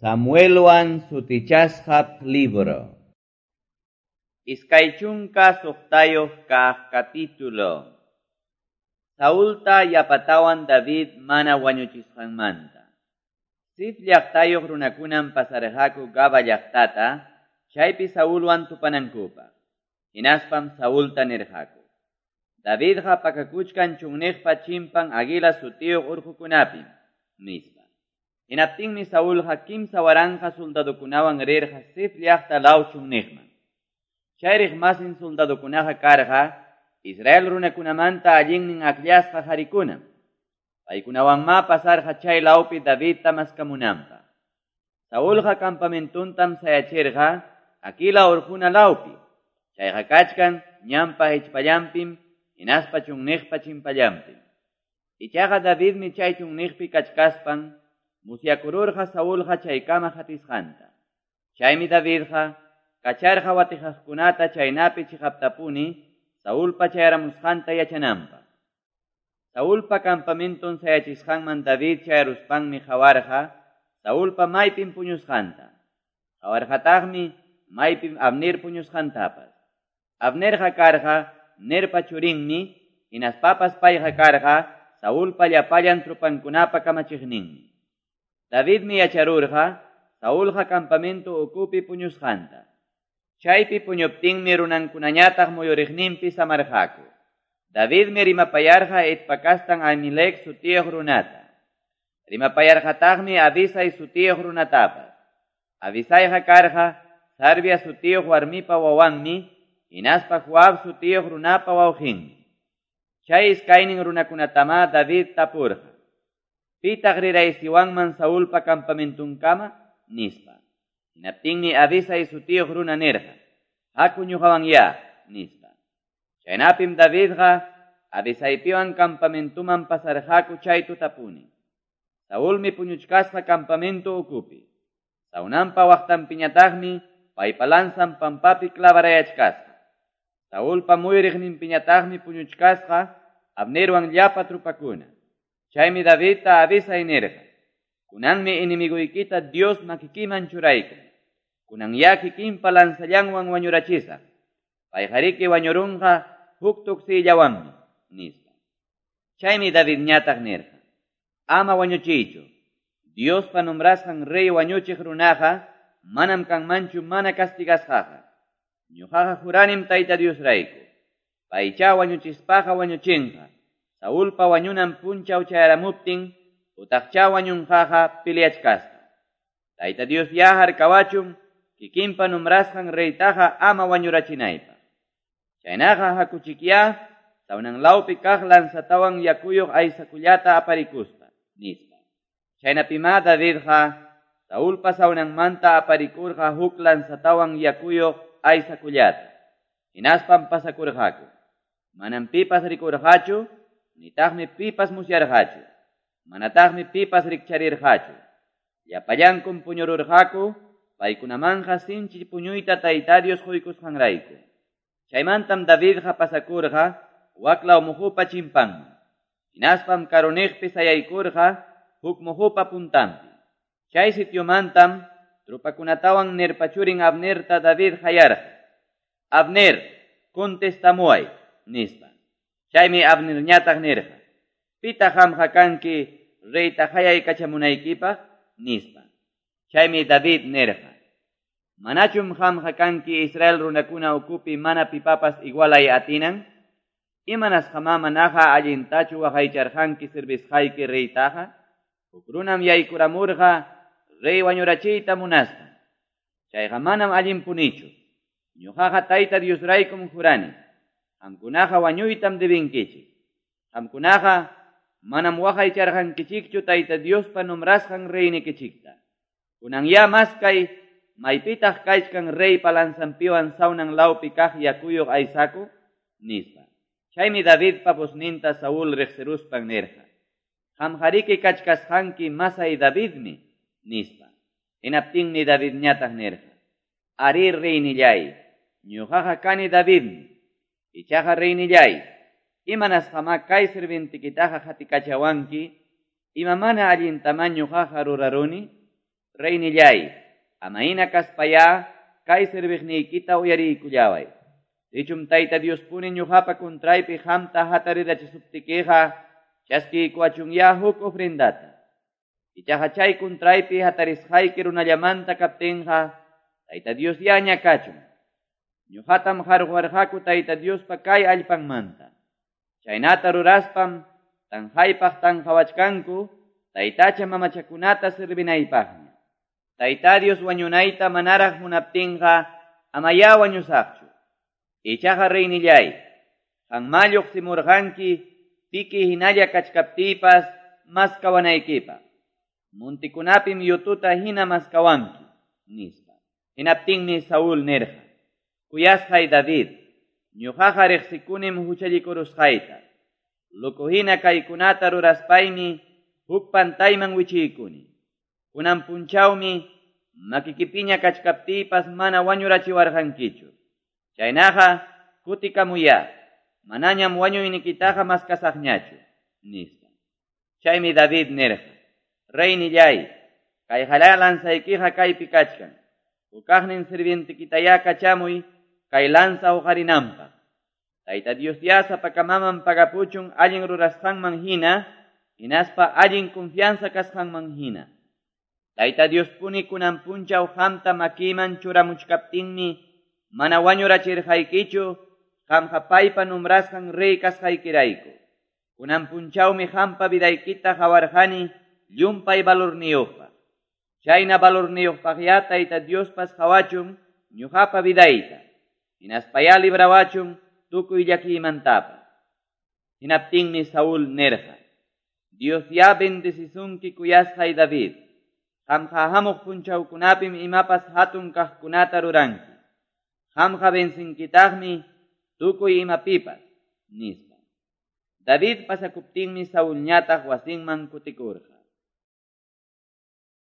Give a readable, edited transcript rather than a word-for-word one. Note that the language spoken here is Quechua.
Samuelwan sutichasqa libro. 26 kaq capítulo. Saulta yapatawan David mana wañuchisqanmanta. Zif llaqtayuq runakunam pasarqaku Gaba llaqtata, chaypi Saulwan tupanankupaq. Hinaspam Saulta nirqaku: Davidqa pakakuchkan chunniqpa chimpan Aguila sutiyuq urqukunapim, nispa. Hinaptinmi Saulqa 3000 soldadokunawan rirqa Zif llaqta law chunniqman. Chayriq masin soldadokunaqa karqa Israel runakunamanta allinnin akllasqa qharikunam. Paykunawanma pasarqa chay lawpi Davidta maskamunanpaq. Saulqa campamentuntam sayachirqa Aquila urquna lawpi. Chayqa kachkan ñanpa hichpallanpim hinaspa chunniqpa chimpallanpim. Ichaqa Davidmi chay chunniqpi kachkaspan musyakururqa Saulqa chaykama hatisqanta. Chaymi Davidqa kacharqa watijaqkunata chaynapi chiqaptapuni Saulpa chayaramusqanta yachananpaq. Saulpa campamenton sayachisqanman David chayaruspanmi qawarqa Saulpa maypim puñusqanta. Qawarqataqmi maypim Abner puñusqantapas. Abnerqa karqa Nerpa churinmi, hinaspapas payqa karqa Saulpa llapallan trupankunapa kamachiqninmi. Davidmi yacharurqa Saulqa campamento ukupi puñusqanta. Chaypi puñuptinmi runankunañataq muyuriqninpi samarqaku. Davidmi rimapayarqa Hetpa kastan Ahimelec sutiyuq runata. Rimapayarqataqmi Abisai sutiyuq runatapas. Abisaiqa karqa Sarvia sutiyuq warmipa wawanmi, hinaspa Joab sutiyuq runapa wawqinmi. Chay iskaynin runakunatama David tapurqa: Pitaq riraysiwanman Saulpa campamentunkama? Nispa. Hinaptinmi Abisai sutiyuq runa nirqa: Haku ñuqawan ya, nispa. Chaynapim Davidqa Abisaipiwan campamentuman pasarqaku chay tutapuni. Saulmi puñuchkasqa campamento ukupi. Saunanpa waqtanpiñataqmi paypa lanzan pampapi clavarayachkasqa. Saulpa muyriqninpiñataqmi puñuchkasqa Abnerwan llapa trupakuna. Chaymi Davidta Abisai nirqa: Kunanmi enemiguykita Dios makikiman churaykun. Kunan ya kikinpa lanzallanwan wañurachisaq. Payqariki wañurunqa huk tuksillawanmi, nispa. Chaymi Davidñataq nirqa: Ama wañuchiychu. Diospa nombrasqan rey wañuchiq runaqa manam kanmanchu mana castigasqaqa. Ñuqaqa juranim Tayta Diosrayku. Paycha wañuchispaqa wañuchinqa. Saulpa wañunan punchaw chayaramuptin utaqcha wañunqaqa peleachkasqa. Tayta Dios ya harkawachun kikinpa nombrasqan reytaqa ama wañurachinaypaq. Chaynaqa hakuchikya sawnan lawpi kaq lanzatawan yakuyuq aysakullata aparikuspa, nispa. Chaynapima Davidqa Saulpa sawnanmanta aparikurqa huk lanzatawan yakuyuq aysakullata. Hinaspam pasakurqaku. Manam pipas rikurqachu, nitaqmi pipas musyarqachu. Manataqmi pipas rikcharirqachu. Llapallankum puñururqaku, paykunamanqa sinchi puñuyta Tayta Dios quykusqanrayku. Chaymantam Davidqa pasakurqa waklaw muhupa chimpanman. Hinaspam karuniqpi sayaykurqa huk muhupa puntanpi. Chay sitiomantam trupakunatawan Nerpa churin Abnerta David hayarqa: Abner, contestamuway, nispa. Chaymi Abnerñataq nirqa: Pitaq qamqa kanki reyta hayaykachamunaykipaq? Nispa. Chaymi David nirqa: Manachum qamqa kanki Israel runakuna ukupi mana pipapas igualay atinan? Imanasqamá manaqa allintachu waqaycharqanki servisqayki reytaqa? Huk runam yaykuramurqa rey wañurachiyta munaspa. Chayqa manam allinpunichu. Ñuqaqa Tayta Diosraykum jurani. Qamkunaqa wañuytam debinkichik. Qamkunaqa manam waqaycharqankichikchu Tayta Diospa nombrasqan reynikichikta. Kunan ya maskay maypitaq kachkan reypa lanzanpiwan sawnan lawpi kaq yakuyuq aysaku, nispa. Chaymi Davidpa vozninta Saúl riqsiruspan nirqa: Qamqariki kachkasqanki masay Davidmi, nispa. Hinaptinmi Davidñataq nirqa: Ari reynillay, ñuqaqa kani Davidmi. Ichaqa reynillay, imanasqamá kay sirvientikitaqa qatikachawanki, ima mana allintamá ñuqaqa ruraruni? Reynilláy, ama hina kaspayá kay serviqniykita uyariykullaway. Sichum Tayta Diospuni ñuqapa contraypi qamta hatarirachisuptikiqa, chaskiykuwachunyá huk ofrendata. Ichaqa chay contraypi hatarisqayki runallamanta kaptinqa, Tayta Diosyá ñakachun. Ñuqatam qarquwarqaku Tayta Diospa kay allpanmanta. Chaynata ruraspam tanqaypaq tanqawachkanku, taytacha mamachakunata servinaypaqña. Tayta Dios wañunayta manaraq munaptinqa, amayá wañusaqchu. Ichaqa reynilláy, qanmá lluqsimurqanki piki hinalla kachkaptiypas maskawanaykipaq. Montikunapim yututa hina maskawanki, nispa. Hinaptinmi Saúl nirqa: Kuyasqay David, ñuqaqa riqsikunim huchallikurusqayta. Loco hina kaykunata ruraspaymi huk pantayman wichiykuni. Kunan punchawmi makikipiña kachkaptiypas mana wañurachiwarqankichu. Chaynaqa kutikamuyá, manañam wañuynikitaqa maskasaqñachu, nispa. Chaymi David nirqa: Reynilláy, kay halá lanzaykiqa kaypi kachkan. Hukaqnin sirvientekitayá kachamuy kay lanza huqarinanpaq. Tayta Diosyá sapakamaman pagapuchun allin rurasqanman hina, hinaspa allin confianza kasqanman hina. Tayta Diospuni kunan punchaw qamta makiman churamuchkaptinmi mana wañurachirqaykichu, qamqa paypa nombrasqan rey kasqaykirayku. Kunan punchawmi qampa vidaykita qawarqani llumpay valorniyuqpaq. Chayna valorniyuqpaqyá Tayta Diospas qawachun ñuqapa vidayta. Hinaspayá librawachun tukuy llakiymantapas. Hinaptinmi Saúl nirqa: Diosyá bendecisunki kuyasqay David. Qamqa hamuq punchawkunapim imapas hatun kaqkunata ruranki. Qamqa vencinkitaqmi tukuy imapipas, nispa. David pasakuptinmi Saulñataq wasinman kutikurqa.